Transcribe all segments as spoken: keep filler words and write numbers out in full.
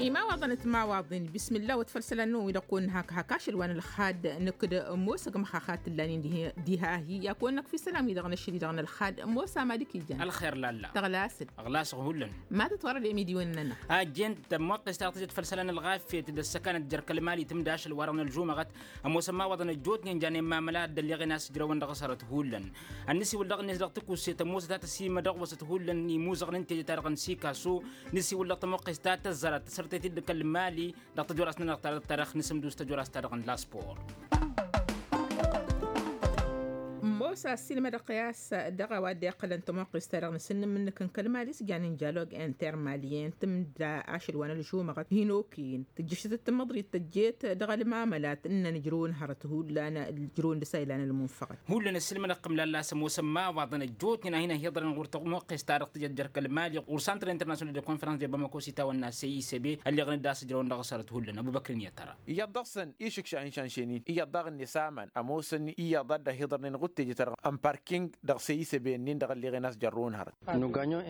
Imawaḍăn timawaḍin bismillah wăt făll-isălan-năwăn wi-dăɣ kăwăn-nǝhak hak ašăl wa n-ălxad nǝkd ămoos ăgg măxaxat tǝllanin diha-hi i-ad-kăwăn-năkf isălan wi-dăɣ n-ašăl-i-dăɣ n-ălxad ămoos amalik ijan. Ălxer lalla. Tăɣlasăt. Ăɣlasăɣ hullan. Ma tătwărăd i-amidiwen-nănăɣ. Ajjen tămmoqqes ta dăɣ-tǝjăt făll-isălan ălɣafyăt d-ăssăkanăt jer-kăl-mali tǝmda ašăl wa-dăɣ n-ălžumăɣăt. Ămoosăn imawaḍăn ăjjootnen janen mamăla dd-ălleɣen a-s ǝjrăwăn dăɣ-asărăt hullan. Ănn-isiwǝl dăɣ-net dăɣ-tǝkuset ămoosăt a tăsimădăɣ wăsăt hullan imuzăɣăn n-teje-ta-dăɣ n-sikaso. N-isiwǝl dăɣ-tămoqqes ta tăzzărăt tăsărtet-dd kăl-mali dăɣ-tăjorast-nănăɣ ta dăɣ-tărăx n-asǝmdus tăjorast-ta-dăɣ n-laspor. Ămoos a ăssiilmădăɣ i-a-s dăɣ-a-wa dd-iqqălăn tămoqqes-ta-dăɣ n-asǝnnǝm-nǝk n-kăl-mali s-janen jalog intermaliyen tǝmda ašăl wa n-ălžumăɣăt hin-okăyăn tǝjjǝšăt d-tamăḍrit tăjjeet dăɣ-ălmamălat ǝnnăn ǝjrăwăn hărăt hullan ǝjrăwăn dăr-s a ilan ălmunfăɣăt. Hullan ăssiilmădăɣ-tăm lalla s-ămoosăn imawaḍăn ăjjootnen a hin-ăhiḍărăn ɣur-tămoqqes-ta-dăɣ tǝjăt jer-kăl-mali ɣur-santăr internasyonal de konfărans de bamako s-itawănna cicb ălleɣăn-dd a-s ǝjrăwăn dăɣ-asărăt hullan ăbubăkr-in i-ad-tăra. Iyyăḍ dăɣ-săn išǝkša inšanšen-in iyyăḍ daɣ-net aman ămoosăn iyyăḍ a dd-ăhiḍărnen ɣud teje-ta-dăɣ n-parking dăɣ-săyisăben-in-dăɣ ălleɣen a-s jărrăwăn hărăt.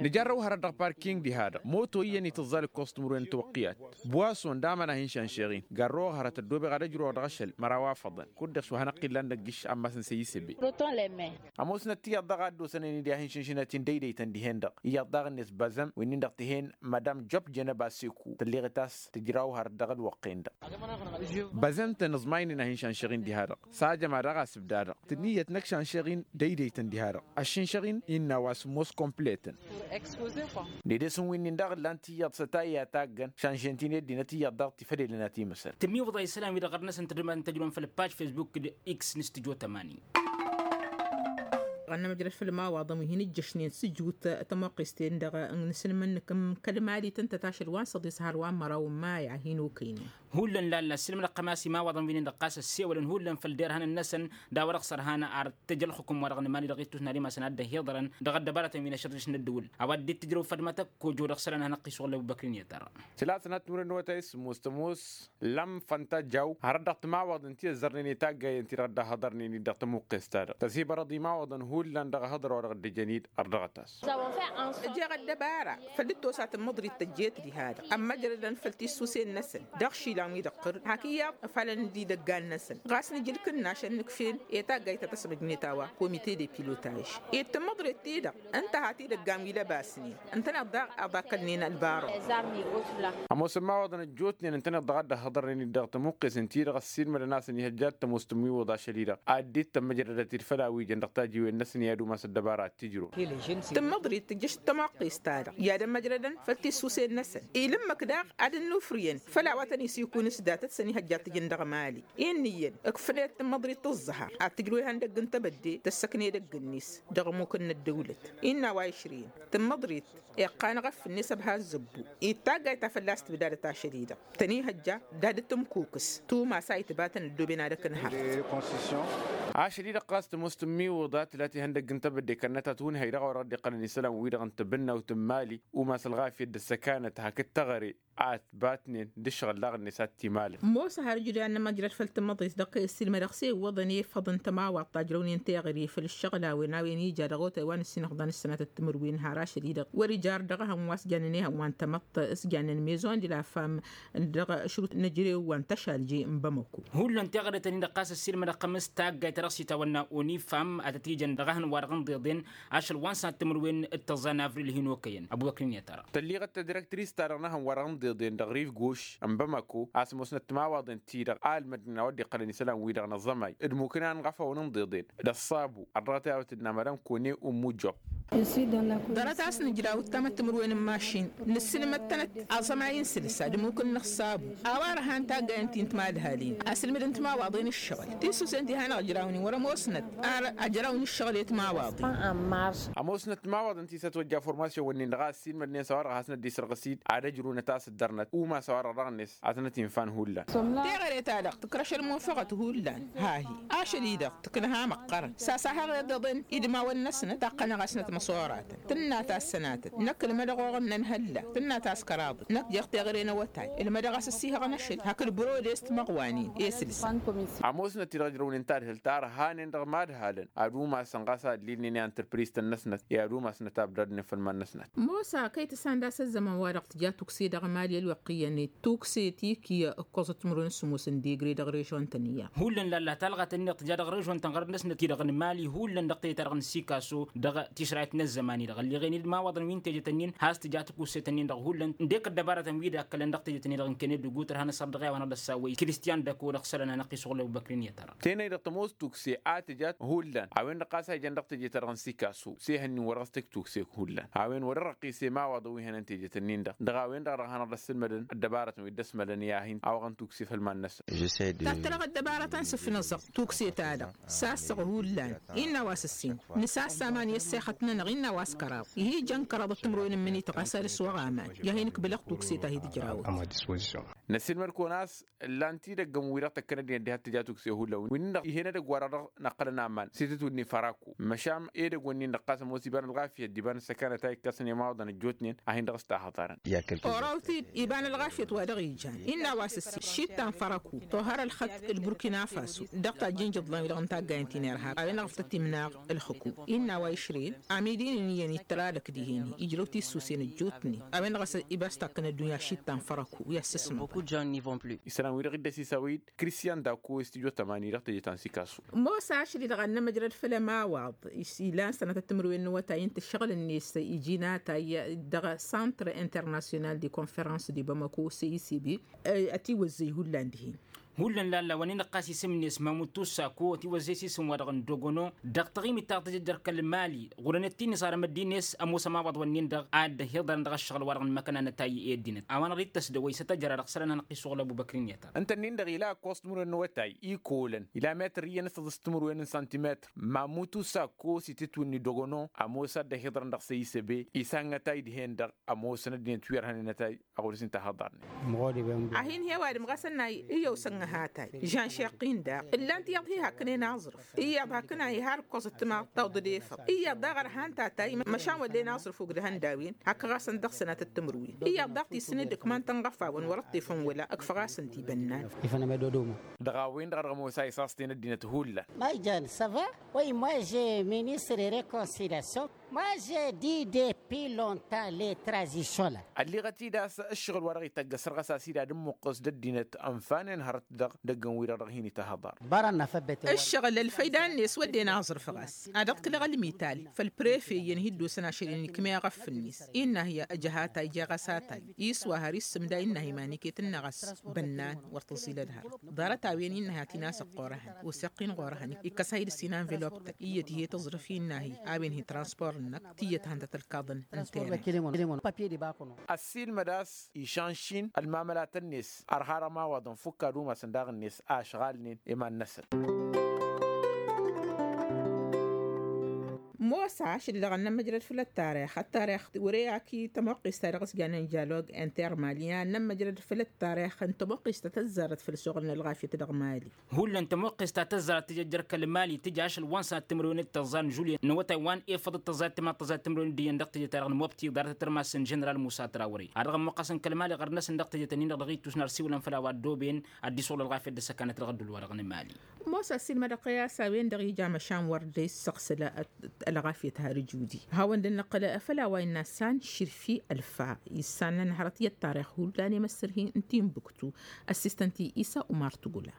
Nǝjarrăw hărăt dăɣ-parking diha-dăɣ moto iyyăn itǝẓẓal ǝkkoẓ timǝrwen n-tiwăqqiyat buwason d-aman a hin-šanšeɣ-in garrăwăɣ hărăt ăddoobeɣ ad-ăjrăwăɣ dăɣ-ašăl măraw afăḍăn kud-dăɣ s-wa hanăɣ-t-illan dăgg-iššan mass n-săyisăben. Ămoosnăt tiyyăḍ daɣ a dd-osănen-dd i-ad-hin-šǝnšǝnăt-in dăydăytăn dihen-dăɣ iyyăḍ daɣ-net băzăm wi-nin-dăɣ tǝhen madam job jenăba seku tălleɣet a-s tǝjraw hărăt dăɣ-ălwăqq-en-dăɣ. Băzăm-tăn ǝẓmaynen a hin-šanšăɣ-in diha-dăɣ s-a jăma daɣ a-s ǝbda-dăɣ tǝnniyyăt n-ăkšanšăɣ-in dăydăytăn diha-dăɣ ăššǝnšăɣ-in innă a-wa sǝmmos kompletăn. Dedes n-wi-nin-dăɣ ǝllan tiyyăḍ s-ătayya taggăn šanšen-t-in ăddinăt iyyăḍ daɣ tifădelăn a timǝsăl. Tǝmmiwǝḍa isălan-wi-dăɣ ărnăsăn tădǝmăn tăjrun făll-paj facebook d-x n-stujo tămani. Ɣănnămăjrăd făll-imawaḍăn wi hin-ǝjjăšnen sǝjut tămoqqes-ten-dăɣ n-asǝlmǝn-nǝk n-kăl-mali tǝntăt ašăl wa n-săḍis har wa n-măraw n-maya hin-okăynen. Hullan lalla ăssiilmădăɣ-tăm a-s imawaḍăn wi-nin-dăɣ ɣas ăssewălăn hullan făll-derhanăn-năsăn d-a-wa dăɣ-s ărhan ar tăj ălxukǝm-wa-dăɣ n-imali dăɣ-ittus n-ad-imasăn ad-dd-ăhiḍărăn dăɣ-ăddăbaratăn wi n-ašăḍ dăɣ-s n-ăddǝwǝl. A-wa dd-tǝjrăw făd ma tăkkojo dăɣ-isălan ad-hanăɣ-t-isuɣǝl ăbubăkr-in i-ad-tărra. Tǝlatănat timǝrwen n-awătay s-sǝmmos tămoos lăm fănta jaw hărăt dăɣ-timawaḍăn ti ăzzărnen i-taggayăn-ti-dăɣ dd-ăhhăḍărnen-dd dăɣ-tămuqqes-ta-dăɣ tăsibărăḍ imawaḍăn hullan dăɣ-ehăḍăr-wa-dăɣ dd-ăjăn-dd ărdăɣăt-as. Ăjeɣ ăddăbara făl dd-tosa tǝmmăḍrit tăjjeet diha-dăɣ ămmăjrădăn făll-tissusen-năsăn dăɣ-išilan wi dăɣ-tăr hak iyyăḍ ăfalăn-dd idăggan-năsăn ɣas nǝja ǝlkǝnnaš ănnǝkfen i-taggayt ta tăsbăjnet a-wa komite de pilotaj ed tǝmmăḍret-ti-dăɣ ǝnta hat idăggan wi lăbasnen ǝntăneḍ daɣ ad-akălnen ălbarăw. Ămoosăn imawaḍăn ăjjootnen ǝntăneḍ daɣ a dd-ăhhăḍărnen-dd dăɣ-tămuqqes ǝnta-i-dăɣ ăssiilmădăn a-s ăniihăjja ad-tămoos tǝmmiwǝḍ ašăl-i-dăɣ ad-dd-tămmăjrădăt-dd făll-a-wi jăn dăɣ-tajiwen-năsăn i-ad-umas ăddăbara ad-t-ǝjrǝw. Tǝmmăḍrit tǝjjăš d-tămuqqes-ta-dăɣ i-ad-ămmăjrădăn făll-tissusen-năsăn ila ǝmmǝk daɣ ad-ănnufrǝyăn făll-a-wa tăn-isikun s-datăt s-ăniihăjja ad-t-ǝjǝn dăɣ-mali. Inniyăn ǝkfǝlet tǝmmăḍrit tǝẓẓăha ad-tǝjrǝw ihăndăgg n-tebădde tăssăkn edăgg-net dăɣ-ămmuk n-ăddăwlăt. Innă a-wa išrǝyăn tǝmmăḍrit iqqan ɣăf-net ăbha ăzzăbbu. Ed taggayt ta fălla-s tǝbdadăt ašăl-i-dăɣ tăn-ihăjja d-ad-dd-tǝmkukǝs tumas a itbatăn ăddooben ad-ăknăhăɣ. Ašăl-i-dăɣ ɣas tămoos tǝmmiwǝḍa tǝla tihăndăgg n-tebădde kănnăt a tǝwǝnhăy dăɣ-a-wa dăɣ-dd-iqqălăn isălan wi-dăɣ n-tibǝnnawt n-mali umas ălɣafyăt d-ăssăkanăt hakd teɣăre ad-t-batnen d-ǝššăɣǝl daɣ-net ad-t-imalăn. Mosa har ǝjrǝy ad-nămăjrăd făll-tǝmmăḍrit dăɣ-kăy-ăssiilmădăɣ s-e iwwăḍăn i-iffăḍăn tămawaḍt ta ǝjrăwnen teɣăre făll-ǝššăɣǝl a-wen a-wen ija dăɣ-otay wa n-ǝssinăɣḍan ǝssănatăt timǝrwen har ašăl-i-dăɣ wăr-ija ar dăɣ-ehăn wa s-jannen ehăn wa n-tamăḍt s-jannen maison de la femme dăɣ-ašrut n-ejărew wa n-tăšalje n-bamăko. Hullan teɣăre-tăn-in-dăɣ ɣas ăssiilmădăɣ-tăn s-taggayt ta dăɣ-s itawănna unifam ad-tăt-ijăn dăɣ-ehăn wa-dăɣ n-iḍeḍen ašăl wa n-sănat timǝrwen d-tăẓẓa n-avril hin-okăyăn ăbubăkr-in i-ad-tărra. Tălliɣăt tadrăktris-ta-dăɣ n-ehăn wa-dăɣ n-iḍeḍen dăɣ-riv goš n-bamăko a-s ămoosnăt timawaḍen-ti-dăɣ a ǝlmădnen a-wa dd-iqqălăn isălan-wi-dăɣ n-aẓămay d-mukǝnan ɣăfăwăn n-iḍeḍen d-ăṣṣabu ărdăɣăt i-ad-wăt-dd-namărăn kone ummu job. Ḍarăt a-s nǝjraw ǝttamăt timǝrwen n-mašin nǝssǝlmăd-tănăt aẓămay n-sǝlsa d-imukǝn n-ăṣṣabu. A-wa ărhan taggayăn ti n-timadhalin asǝlmǝd n-timawaḍen ǝššăɣǝl tisusen ti hanăɣ-ǝjrawnen wăr-ămoosnăt ar ăjraw n-ǝššăɣǝl i-timawaḍen. Ămoosnăt timawaḍen ti s-ătwăjja formasyon-wǝnnin-dăɣ a ăssiilmădnen s-a-wa-dăɣ hasnăt dd-isrăɣǝs-dd ad-ăjrunăt a-s ǝddărnăt umas a-wa-dăɣ dăɣ-net ad-tănăt-infan hullan. Teɣăre-ta-dăɣ tǝkrăš ălmunfăɣăt hullan. Ha-hi ašăl-i-dăɣ tǝknăha măqqărăn sasahăɣ iḍeḍen idmawăn-năsnăt taqqănăɣ-asnăt. măsoratăn tǝnna tassănatăt năkk ǝlmădăɣ oɣăn n-ănhălla tǝnna taskăraḍăt năkk jer-teɣăre n-awătay ǝlmădăɣ a-s ăssihăɣăn ašăl hak ǝlbărodest măɣwanen i-sǝlsăn. Ămoosnăt-i-dăɣ ǝjrăwnen tadhǝlt a ărhanen dăɣ-imadhalăn ad-umasăn ɣas a ăllilnen i-antrăpriz-tăn-năsnăt i-ad-umasnăt abdăr-net făll-iman-năsnăt. Mosa kăy-tǝssan d-asăzzămăn wa-dăɣ tǝja tukse dăɣ-mali ălwăqq iyyăn-net tukse tikǝy ǝkkoẓăt timǝrwen s-ămoosăn degre dăɣ-režon-tăn iyyăn. Hullan lalla talɣa-tăn-dăɣ tǝja dăɣ-režon-tăn ɣărăt-năsnăt-i-dăɣ n-mali hullan dăɣ-tejăt-ta-dăɣ n-sikaso dăɣ-tišrayt n-ăzzăman-i-dăɣ ălleɣen-dd imawaḍăn wi n-tejăt-ǝnnin has-tǝja tukuse-tăn-in-dăɣ hullan ǝndek ăddăbarătăn-wi d-akkălăn dăɣ-tejăt-ǝnnin-dăɣ n-kăned d-gutăr hanăsăr dăɣ-i a-wa n-ad-ăssawăy kristian dăko dăɣ-isălan a năqqisuɣ lăbubăkrin i-tărăɣ. Tenăy-dăɣ tămoos tukse a tǝjat hullan a-wen-dăɣ ɣas a ijăn dăɣ-teje-ta-dăɣ n-sikasu s-ehăn-in wăr-dăɣ s-tǝj tukse hullan a-wen wăr-ărrăqqise imawaḍăn wi hănăn teje-tăn-in-dăɣ dăɣ-a-wen-dăɣ a dăɣ-hanăɣ-dăɣ sǝlmădăn ăddăbarătăn wi dd-ăsmălăn i-ad-hin-awăɣăn tukse făll-iman-năsăn. Tattărăɣ ăddăbarătăn s-ǝfnăẓăɣ tukse-ta-dăɣ sasăɣ hullan. Innă a-wa s-ǝssin nǝsassa aman i-ăssexăt-nănăɣ innă a-wa s-kăraḍ ihi jăn kăraḍăt timǝrwen n-imǝnităɣ a-s ad-ǝswăɣ aman i-ad-hin-ǝkbǝlăɣ tukse-ta hi-tǝjrawăt. Năsiilmăd-kăwăn a-s ǝllan-t-dd ăggăm-wi-dăɣ tăkkănăd-in ăddihăt tǝja tukse hullan wi-dăɣ ih'-en edăgg-wa-dăɣ dăɣ-năqqălăn aman s-itǝtwǝdni făraku măšan edăgg-wǝnnin-dăɣ ɣas ămoos iba n-ălɣafyăt d-iba n-ăssăkanăt a ikkăsăn i-imawaḍăn ăjjootnen ad-hin-dăɣ-s tahăḍarăn. Orăwt-dd iba n-ălɣafyăt wa dăɣ-ijan innă a-wa s-ǝssin šitta n-fărăku tohăr ălxăt d-burkina faso dăɣ-tajjǝnjǝḍlan-wi-dăɣ n-taggayen ti n-irhab a-wen-dăɣ ăfta timnaɣ ălxǝkum. Innă a-wa išrǝyăn amidin-in iyyăn ittăr alăk dihen-hi ijrăw tissusen ăjjootnen a-wen-dăɣ a-s iba s-takkăn ăddunya šitta n-fărăku i-ad-sǝsmăḍăn. Isălan-wi-dăɣ dd-ăsisawăy-dd kristian dako s-tijot ămani dăɣ-teje ta n-sikasu. Mosa ašăl-i-dăɣ ad-nămăjrăd făll-ămawaḍ ilan sănatăt timǝrwen n-awătay ǝnta ǝššăɣǝl-net iji n-atay dăɣ-santr internasyonal de konferans de bamako s-e i s b. Ătiwăzzăy hullan dihen. Hullan lalla wa n-inăqqas isǝm-net mamut tussako ătiwăzzăy s-isǝm-wa-dăɣ n-dogono dăɣ-taɣimit ta tǝjăjjăr kăl-mali ɣur-enăt-in-isarăm ăddin-net ămoos ămawaḍ-wǝnnin-dăɣ ad-dd-ăhiḍărăn dăɣ-ăššăɣǝl-wa-dăɣ n-măkănanăt a i-ăddinăt a-wa n-ad-dd-tăsdăwăy s-ătăjăra dăɣ-isălan hanăɣ-t-isuɣǝl ăbubăkr-in i-tărăn. Ǝnta-nin-dăɣ ila ăkkoẓ timǝrwen n-awătay ikolăn ila metăr iyyăn s-tăḍǝs timǝrwen n-santimetăr mamutu sakko s-itǝtwǝnni dogono ămoos ad-dd-ăhiḍărăn dăɣ-săyisăbe. Isaŋ ătay dihen-dăɣ ămoosăn ăddinăt wi ărhănen ătay. Ăɣur-s inta hăḍarnen. A hin-he-ăwadǝm ɣas ănnay iyyăw s-ănnăhatay žanšeqqin daɣ ǝllan-t iyyăḍ hi-hakkănen aẓrǝf iyyăḍ hakkăn a iha ărkkoẓăt timaḍ tawḍăd efăḍ iyyăḍ daɣ ărhan tatay. Măšan wăllen aẓrǝf ogdăhăn d-a-wen hakk ɣas ăndăɣ sănatăt timǝrwen iyyăḍ daɣ tisǝn-dd ǝkman tănɣăfawăn wăr-ăṭṭefăn wăla ǝkfăɣ-asăn-t ibănnan. Dăɣ-a-wen-dăɣ a dăɣ-ămoos a isaẓten ăddinăt hullan. Ma ijan săva. Oi moi je ministre rekonsilyasyon. Moi je di depi lontan le tranzisyon la. Ălliɣăt-dd a-s ǝššăɣǝl-wa-dăɣ ităgg ăsrăɣăs a-s dd-ad-ǝmmuqqǝs d-ăddinăt ănfanen hărăt-dăɣ dăgg-ǝnwi-dăɣ dăɣ-hin-itahăḍar. Ăššăɣǝl ălfăyda-net wădden aẓrǝf ɣas ad-ăɣ-t-lăɣ ălmital făll-prefe iyyăn hi-dd-osăn ašăl-in ikmeɣ ăffǝnnis innă hi-ăjăh atay jeɣ-as atay iswa har issǝmda innă hi-iman iket ǝnnăɣ a-s bănnan wăr tǝẓilăd hărăt. Ḍarăt-a-wen innă hi-ad-t-in-asăɣ ɣur-ehăn oseɣ-t-in ɣur-ehăn ikkăs-ahi dăr-s inanvelop-tăn iyyăt ih'-e tǝẓrǝf innă-hi a-wen hi-transpor-năk tiyyăt han tăt-ălkaḍăn. N-teren. Ăssiilmăd a-s išanšin ălmamălatăn-net ărha dăɣ-imawaḍăn fukk ad-umasăn daɣ-net a ăšɣalnen i-iman-năsăn. Mosa ašăl dăɣ-ad-nămmăjrăd făll-ăttarix ăttarix wăr-e ak i-tămoqqest ta dăɣ-s janen jalog inter mali ad-nămmăjrăd făll-ăttarix n-tămoqqest ta tăzzarăt făll-suɣǝl n-ălɣafyăt dăɣ-mali. Hullan tămoqqest ta tăzzarăt tǝjăjjăr kăl-mali tǝja ašăl wa n-sănat timǝrwen d-tăẓẓa n-žulyen n-awătay wa n-efăḍ d-tăẓẓa d-timaḍ tăẓẓa timǝrwen d-iyyăn dăɣ-teje-ta-dăɣ n-mobti ḍarăt ătrmas n-ženeral musa trawăre. Ad-dăɣ-ămmuqqăsăn kăl-mali ɣărnăsăn dăɣ-teje-tăn-in-dăɣ dăɣ-ittus n-ar siwǝlăn făll-a-wa ăddooben ad-dd-isɣul ălɣafyăt d-ăssăkanăt dăɣ-ădduul-wa-dăɣ n-mali. Mosa ăssiilmădăɣ-t i-a-s a-wen-dăɣ ija măšan wăr dd-issăɣsǝl ălɣafyăt har ǝjudi. Hawăn-dd-nǝqqǝl făll-a-wa innă san širfi ălfa. Issan n-hărăt i-ăṭṭarix hullan i-măssărhi n-tinbuktu ăssistăn-t-i isa umar tugula.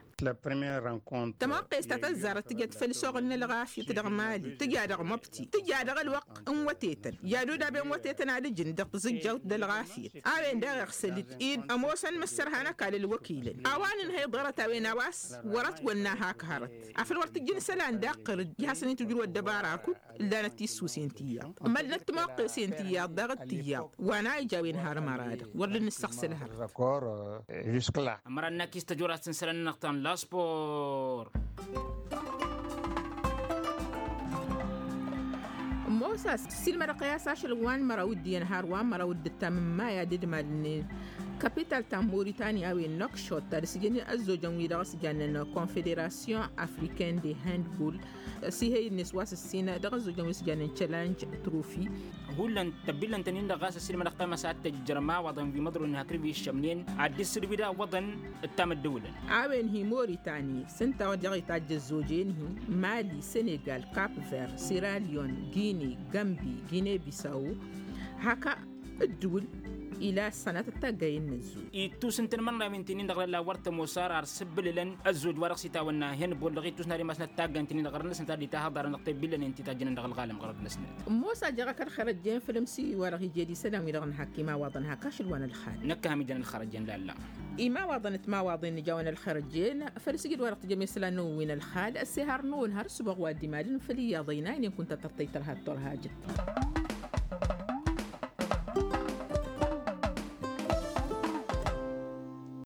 Tămoqqest ta tăzzarăt tǝjăt făll-suɣǝl n-ălɣafyăt dăɣ-mali tǝja dăɣ-măbti tǝja dăɣ-ălwăqq n-wătetăn i-ad-odaben wătetăn ad-ǝjǝn dăɣ-tǝzǝjjawt d-ălɣafyăt. A-wen daɣ iɣsăl-dd ed ămoosăn măssărhan ăkall ălwăkilăn a-wa nǝnhăy ḍarăt-a-wen a-wa s-wăr-ătwănna hak hărăt. Afăl wăr tǝjjǝn isălan daɣ qărǝj i-hasăn-itǝjrǝw ăddăbara kud ǝllanăt tissuse n-tiyyăḍ mălnăt timoqqesen tiyyăḍ daɣ d-tiyyăḍ wa n-a ija a-wen har ămăra-dăɣ wăr dd-nǝssăɣsǝl hărăt. Ămăra n-akis tăjorast n-isălan-nănăɣ ta n-la spor. Mosa s-ilmădăɣ i-a-s ašăl wa n-măraw d-iyyăn har wa n-măraw d-ǝttam n-maya d-idmal-net. Kapital ta n-moritani a-wen nokšot ta d-sǝjǝn ăzzojăn-wi-dăɣ s-jannen konfederasyon afriken de handball, s-ihăy-net wa s-ǝssin dăɣ-ăzzojăn wi s-jannen challenge trophy. Hullan tăbbillăn-tăn-in-dăɣ ɣas ăssiilmădăɣ tamăsat tǝjjăr imawaḍăn wi măḍronen hakd wi ǝššămnen ad-dd-issǝdwi d-awwăḍăn. D-tamăddăwǝlăn. A-wen hi-moritani s-ǝnta dăɣ-itajj ăzzojen-hi, mali, senegal, cap-vert, siralion, guine, gambi, guine-bisawo. Hak ǝddǝwǝl ila ăssanatăt taggayen n-ăzzoj. Ittus ǝntăn imărnawen ti-nin-dăɣ lalla wăr tămoos ar ar sǝbbǝlǝlăn ăzzoj wa dăɣ-s itawănna henbol dăɣ-ittus n-ad-imasnăt taggayen ti-nin-dăɣ ɣărăn-năsnăt ad-itahăḍarăn dăɣ-tebillănen ti tajjănen dăɣ-ălɣalăm ɣărăd-năsnăt. Ămoos a jeɣ-ak ălxer ăjjeen făll-ămsi wa dăɣ-ije d-isălan-wi-dăɣ n-hak imawaḍăn hak ašăl wa n-ălxal. Năkk a ham ijăn ălxer ăjjeen lalla. Imawaḍăn timawaḍen nǝjawăn ălxer ăjjeen, făll-asǝjǝd wa dăɣ-tǝjjăm isălan-năwăn wi n-ălxal ăssihar-năwăn har ǝssǝboɣ wa dd-imadăn făll-iyyăḍ ăynaynen kunta tărtăy tărha d-turhajăt.